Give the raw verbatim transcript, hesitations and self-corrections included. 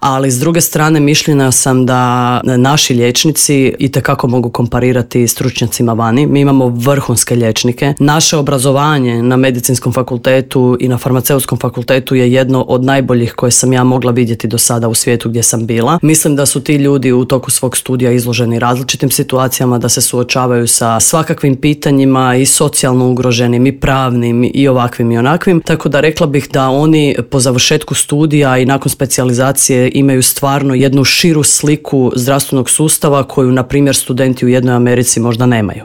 ali s druge strane mišljenja sam da naši liječnici itekako mogu komparirati stručnjacima vani. Mi imamo vrhunske liječnike. Naše obrazovanje na medicinskom fakultetu i na farmaceutskom fakultetu je jedno od najboljih koje sam ja mogla vidjeti do sada u svijetu gdje sam bila. Mislim da su ti ljudi u toku svog studija izloženi različitim situacijama, da se suočavaju sa svakakvim pitanjima i socijalno ugroženim i pravnim i ovakvim i onakvim. Tako da rekla bih da oni po završetku studija i nakon specijalizacije imaju stvarno jednu širu sliku zdravstvenog sustava koju, na primjer, studenti u jednoj Americi možda nemaju.